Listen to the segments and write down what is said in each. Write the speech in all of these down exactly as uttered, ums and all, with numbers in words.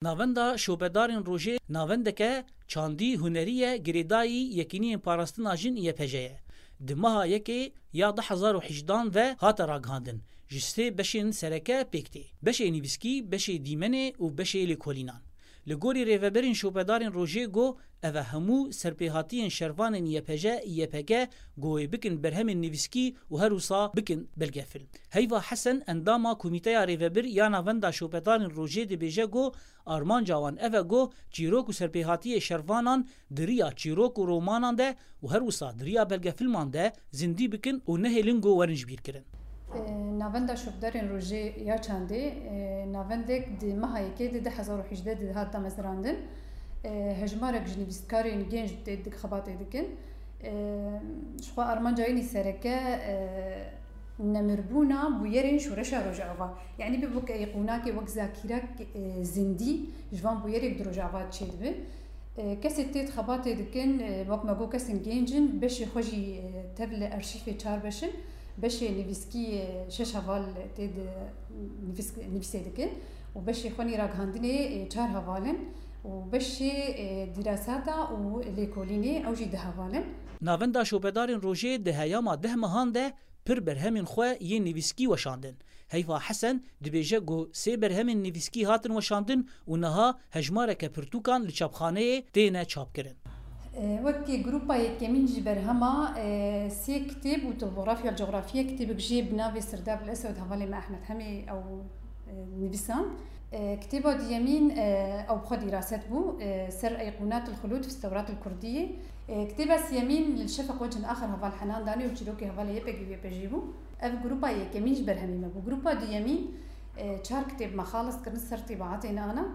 Navenda Şopedarên Rojê navendeke çandî hunerî ye, girêdayî Yekîniyên Parastina Jin Y P J ye. Di meha yekê ya du hezar û hejdehan ve hate ragihandin, ji sê beşên sereke pêk tê. Beşê nivîskî, beşê dîmenê û beşê lêkolînan. Li gorî rêveberên Şopedarên Rojê got, ev e hemû serpêhatiyên şervanên Y P J, Y P G, ku wê bikin berhemên nivîskî û her wisa bikin belgefilm. Heyva Hesen, endama Komîteya Rêvebir ya Navenda Şopedarên Rojê, dibêje ku armanca wan ev e ku çîrok û serpêhatiyê şervanan di riya çîrok û romanan de û her wisa di riya belgefilman de zindî bikin û nehêlin ku werin jibîrkirin. E, Navenda Şopedarên Rojê ya çandê, e, navendek di meha yekê de du hezar û hejdeh de dihat damezrandin. E, hejmarek ji nivîskarên genc tê dik-, xebatê dikin. E, Ji xwe armanca wî sereke, e, nemirbûna bûyerên şoreşa Rojava. Yanî bibe weke qûnakê wek zakîrek, e, zindî ji van bûyerek di Rojava çêdibe. E, kesê tê di xebatê dikin, e, wek me got kesên genc in, beşê xwe jî, e, tev li arşîfê çar beş in, beşê nivîskî, e, şeş heval tê di nivîsk-, nivîsê dikin û beşê xwe nî ragihandinê, e, çar heval in û beşê, e, dîrasata û lêkolînê ew jî du heval in. Navenda Şopedarên Rojê di heyama deh mehan de pir berhemên xwe yên nivîskî weşandin. Heyva Hesen dibêje ku sê berhemên nivîskî hatin weşandin û niha hejmareke pirtûkan li çapxaneyê têne çapkirin. E, wekî grupa yekemîn ji berhema, e, sê kitêb û topografya, coğrafya kitêbek jê bi navê Sirdab el Eswed hevalê me Ehmed Hemê ew, e, nivîsand. E, kitêba duyemîn, e, ew bi xwe dîraset bû, e, ser Eyqûnat el Xulûd fi Tewrat el Kurdiyê. E, kitêba siyemîn li Şefeq Wecin Axir heval Henan danê û çîrokê hevalê Y P G û Y P J bû. Ev grupa yekemîn ji berhemî me bû. Grupa duyemîn, e, çar kitêb me xalis kirin ser tîbaatên ana.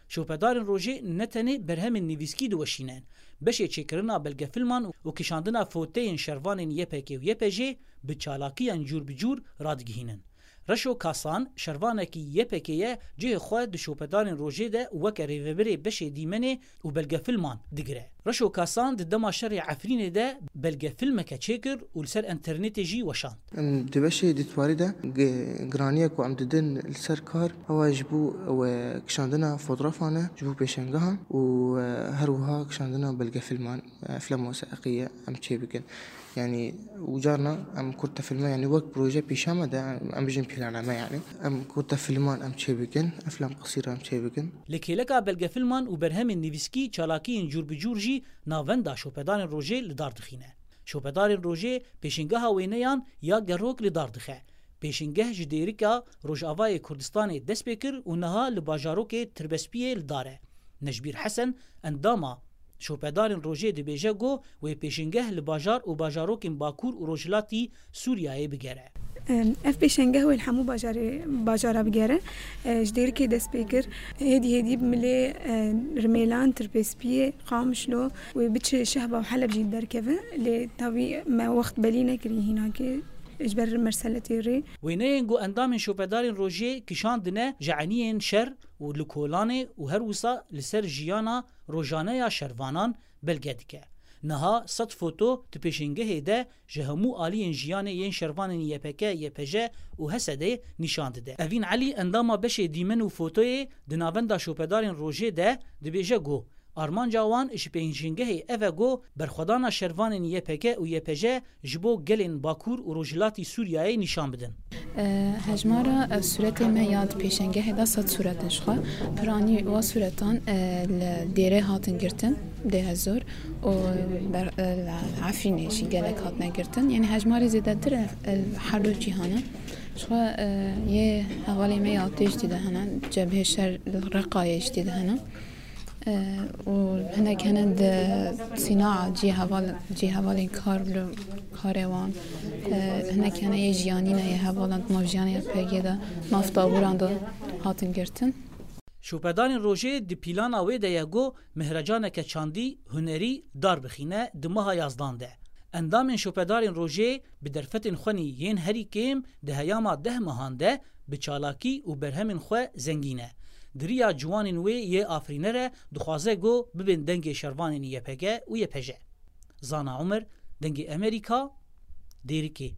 Şopedarên Rojê ne tenê berhemên nivîskî diweşînin, beşê çêkirina belgefilman û kişandina foteyên şervanên Y P G û Y P J bi çalakiyan cûr bi cûr radigihînin. Reşo Kasan, şervanekî Y P G ye, cihê xwe di Şopedarên Rojê de weke rêvebirê beşê dîmenê û belgefilman digire. Reşo Kasan di dema şerê Efrînê de belgefilmeke çêkir û li ser înternetê jî weşand. Em di beşê dîtwarî de gi-, giraniyê ku em didin li ser kar, ew e ji bo ew e kişandina fotografan e ji bo pêşengehan û, e, her wiha kişandina belgefilman, e, eflama wesaiqî ye em çê bikin. Yanî û carna em kurtefilme, yanî wek proje pêşa me de, em bijin planame yanî. Em kurtefilman em çê bikin, eflam qisîr em çê bikin. Li kêleka belgefilman û berhemên nivîskî çalakiyên cûr bi cûr jî navenda Şopedarên Rojê li dar dixîne. Şopedarên Rojê pêşingeha wêneyan ya gerok li dar dixe. Pêşingeh ji Dêrika Rojavayê Kurdistanê dest pê kir û niha li bajarokê Tirbespiyê li dar e. Necbîr Hesen, endama Şopedarên Rojê, dibêje ku wê pêşingeh li bajar û bajarokên Bakur û Rojhilatî Sûriyeyê bigere. Ev pêşengeh wê li hemû bajarê, bajara bigere. Ji Dêrikê dest pê kir. Hêdî hêdî bi milê, e, Rimêlan, Tirbespiyê, Qamişlo wê biçe Şehba û Heleb jî derkeve. Lê tavî me wext belî nekirî hînakê ji ber merseletê rê. Wêneyên ku endamên Şopedarên Rojê kişandine ji eniyên şer û li kolanê û her wisa li ser jiyana rojane ya şervanan belge dike. Niha sed foto di pêşengehê de ji hemû aliyên jiyanê yên şervanên Y P G, Y P J û H S D'ê nîşan dide. Evîn Elî, endama beşê dîmen û fotoyê di Navenda Şopedarên Rojê de, dibêje ku armanca wan ji pêşengehê ev e ku berxwedana şervanên Y P G û Y P J ji bo gelên Bakur û Rojhilatî Sûriyeyê nîşan bidin. E, hejmara, e, sûretê me ya di pêşengehê de sed sûret in ji xwe. Piranî wa sûretan, e, li Dêrê hatin girtin, Dêrezor û ber-, e, li Efrînê jî gelek hatine girtin. Yanî hejmarê zêdetir, e, e, her du cîhan e. Ji xwe, e, yê hevalê me ya tê jî tê de hene, cebhê şer li Reqayê jî tê de hene. E, û hinek hene di sînaa cihê heval-, cihê hevalên kar li karê wan. E, hinek hene yê jiyanî ne, yê hevalan di nav jiyanê Y P G de, nav tabûran de hatin girtin. Şopedarên Rojê di pîlana wê de ye ku mehrecaneke çandî hunerî dar bixîne di meha yazdan de. Endamên Şopedarên Rojê bi derfetên xwe nî yên herî kêm di heyama deh mehan de bi çalakî û berhemên xwe zengîn e. Di riya ciwanên wê yê afirîner e, dixwaze ku bibên dengê şervanên Y P G û Y P J. Zana Omer, Dengê Emerîka, Dêrikê.